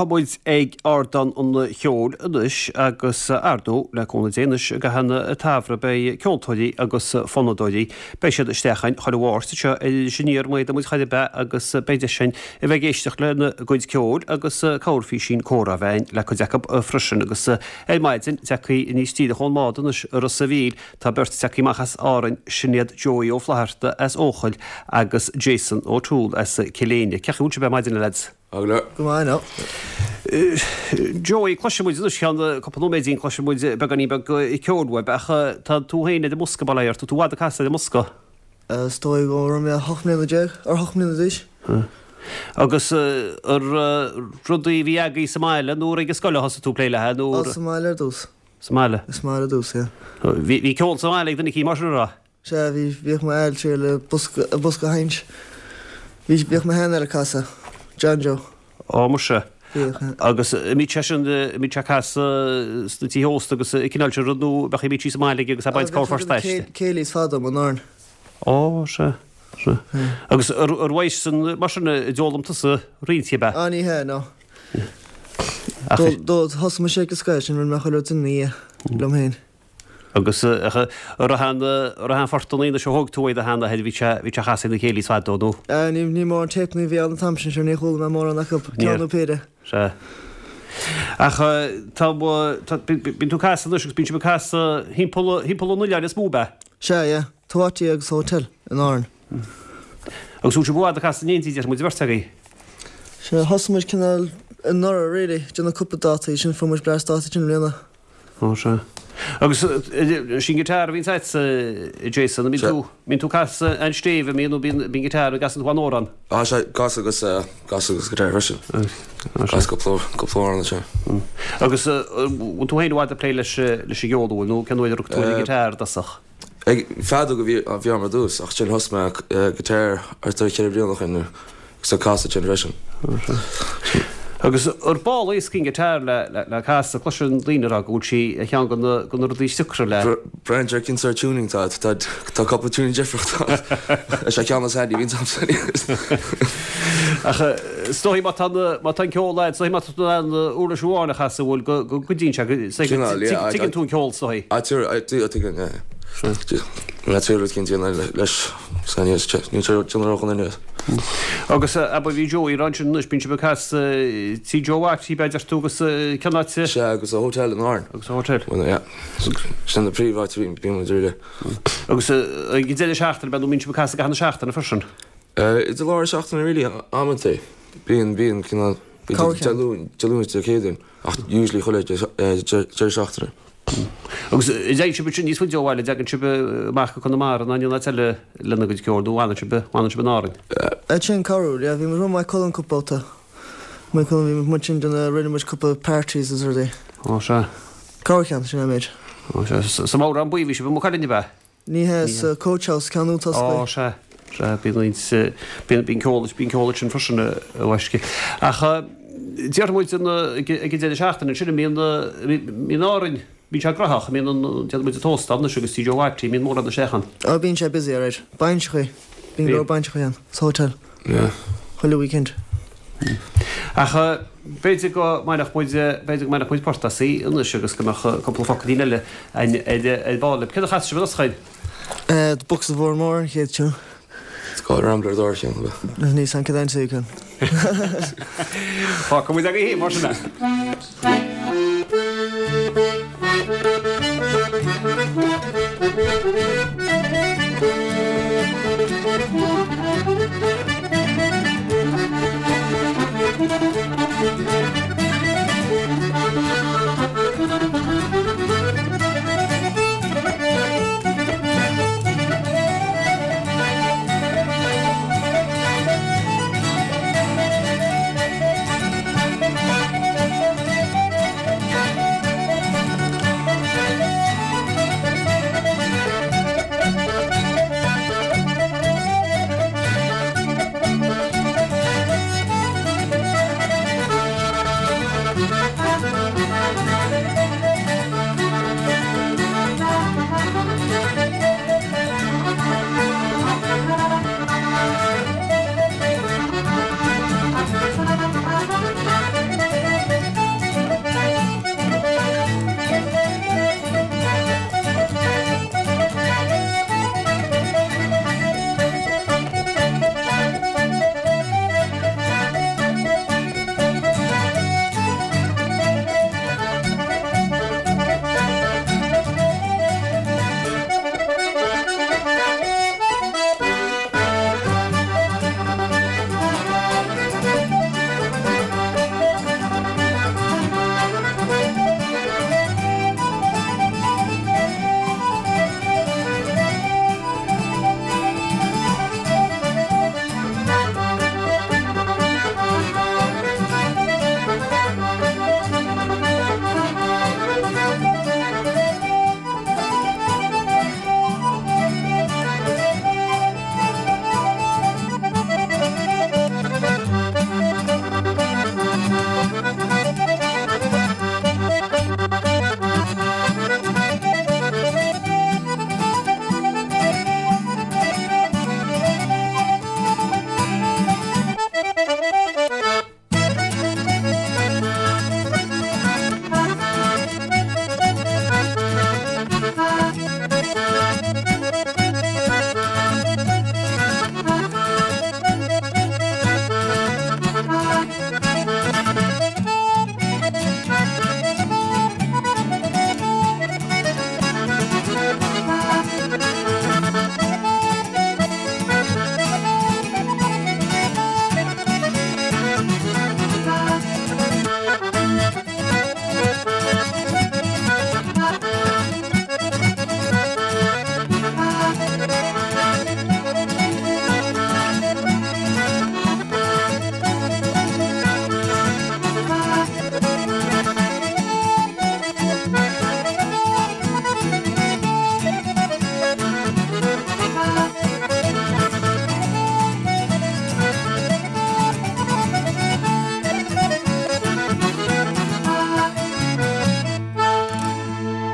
Tá muid ag Ardán an Cheoil anois agus ar ndóigh, le cúnamh Dé anois i gcaitheamh an tsamhraidh beidh ceoltóirí agus fonnadóirí, beidh siad isteach againn chuile Mháirt anseo ar Iris Aniar, má fhéadann muid chor ar bith agus beidh deis againn a bheith ag éisteacht lena gcuid ceoil agus corrphísín comhrá a bheith againn le cuid acu freisin agus ar maidin tagtha aníos díreach ón mbád anois i Ros a' Mhíl tá beirt tagtha amach as Árainn, sin iad Joey Ó Flatharta as Eochaill agus Jason O'Toole as Cill Éinne. Cén chaoi a bhfuil sibh ar maidin a leaids? Go maith now. Joey, cloisfidh muid anois ceann cúpla nóiméidín, cloisfidh muid beagáinín beag ceoil uaibh, ach tá tú féin ar an mbosca, bail ó Dhia ort, tá tú i bhfad ag casadh ar an mbosca. Is dóigh go raibh mé 18 mbliana, ar 8 mbliana d'aois. Agus ar rudaí a bhí agaibh sa mbaile nó ar ag an scoil a thosaigh tú ag plé léi nó? Sa mbaile ar dtús. Sa mbaile? Sa mbaile ar dtús, yeah. Bhí ceol sa mbaile ag duine eicínt mar sin, an raibh? Sea, bhí, bhíodh m'athair ag triail bosca, bosca a sheinnt. Bhí, bhíodh mo sheanathair ag casadh, John Joe. Ó, muise. Bhíodh, yeah. Agus an mbíodh seisean, an mbíodh sé ag casadh sna tithe ósta agus an cineál sin rud nó bheadh, bhíodh sé sa mbaile aige agus é ag baint Bhíodh sé corrphort ag aisti? céilís fada, mo Árainn. Ó, sea, sea. Agus ar, ar uaidhsean, mar sin, a d'fhoghlaim tusa roinnt, ab ea? Á, ní hea, no. Ach. Do, do, thosaigh mise ag an scoil, sin rinne mé chuile rud ina dhiaidh, liom féin. Agus an raibh aon, an raibh aon phortanna anois a thóg tú ó do sheanathair, bhí sé, bhí sé a chasadh ag na céilís fadó nó? Ní, ní mórán téipeanna a bhí ann an t-am sin, sure ní chuala mé mórán acu, ceann nó péire. Sea. Ach tá, tá, bíonn tú ag casadh anois agus bíonn sibh ag casadh thimpeall, thimpeall an oileáin is mó, ab ea? Sea, yeah. Tigh Wattie agus Hotel in Árainn. Agus bhfuil sibh i bhfad ag casadh in éindí, deir muid, an bheirt agaibh? Sea, thosaigh muid cineál anuraidh, really, déanamh cúpla dátaí, sin fuair muid blast dátaí sin i mbliana. Ó sea. Agus sin guitar a bhíonns agatsa, Jason, an mbíonn tú, mbíonn tú ag casadh an stéibh, an mbíonn, nó bíonn, bíonn guitar, an gcasann tú aon amhrán? Á sea, casadh agus, casadh agus guitar freisin. Casadh cúpla, cúpla amhrán ansin. Agus bhfuil tú féin i bhfad ag plé leis, leis an gceol, an bhfuil, nó cén uair a rug tú ar an guitar i dtosach? Ag feadóg a bhí, a bhí agam ar dtús, ach ansin thosaigh mé guitar thart ar cheithre bliana ó shin. Agus ag casadh ansin freisin. Agus ar ball éasca an guitar le casadh, cloiseann daoine ag rá go bhfuil sí ar cheann de na rudaí is deacra le. Braitheann sé ar cén sórt tuning atá agat. Tá cúpla tuning difriúil ann. Is é ceann is handy a bhíonn agamsa. Ach is dóigh má tá má tá an ceol agat, is dóigh má tá tú in ann uirlis amháin a chasadh, bhfuil go gcuidíonn sé, tuigeann tú an ceol is dóigh. Tuigeann, yeah. Níl rud cinnte leis. Agus abair bhí Joey ag rá ansin anois, bíonn sibh ag casadh Tí Joe Wattie, ab ea deir tú agus cén áit? Sea, agus an hotel in Árainn. Agus an hotel. Bhuel, yeah. Sin na príomháit a bhíonn muid really. Agus ag an deireadh seachtaine, ab ea, nó bíonn sibh ag casadh i gcaitheamh na seachtaine freisin? Idir lár seachtaine really, amantaí. Bíonn, bíonn cineál, Dé Luain, Dé Luain is Dé Céadaoin. Ach usually chuile deireadh seachtaine. Agus an dtéann sibh ansin níos faide ó bhaile, an dtagann sibh amach go Conamara nó aon áit eile lena gcuid ceoil nó fanann sibh, fanann sibh in Árainn? Sin corruair, yeah, bhí muid i Maigh Cuilinn cúpla babhta. Maigh Cuilinn, bhí muid ansin déanamh, rinne muid cúpla parties is rudaí. Ó sea. Corrcheann, sin é an méid. Ó sea. Sa mBodhrán Buí bhí sibh i Maigh Cuilinn, ab ea? Ní hea, sa Coach House, ceann nua atá Ó, sea, sea, bíonn roinnt, bíonn, bíonn ceol, bíonn ceol ansin freisin, a mhaisce. Ach déarfaidh muid an, ag an deireadh seachtaine ansin, an mbíonn, mbíonn Árainn, bíonn sé graitheach, an mbíonn an, déarfaidh muid an t-óstán anois agus Tí Joe Wattie, an mbíonn mórán isteach ann? Ó, bíonn sé busy, alright. Bainseachaí, bíonn go leor bainseachaí ann, sa hotel. Yeah. Chuile weekend. Ach b'fhéidir go mbainfeadh muid, b'fhéidir go mbainfeadh muid port as í anois agus go mbeadh cúpla focailín eile againn ar ar ball. Céard a chas sibh anois chugainn? The Bucks of Oranmore an chéad tune. It's called Rambler an dara ceann. Ní san cad é an Fágfaidh muid agaibh mar sin é.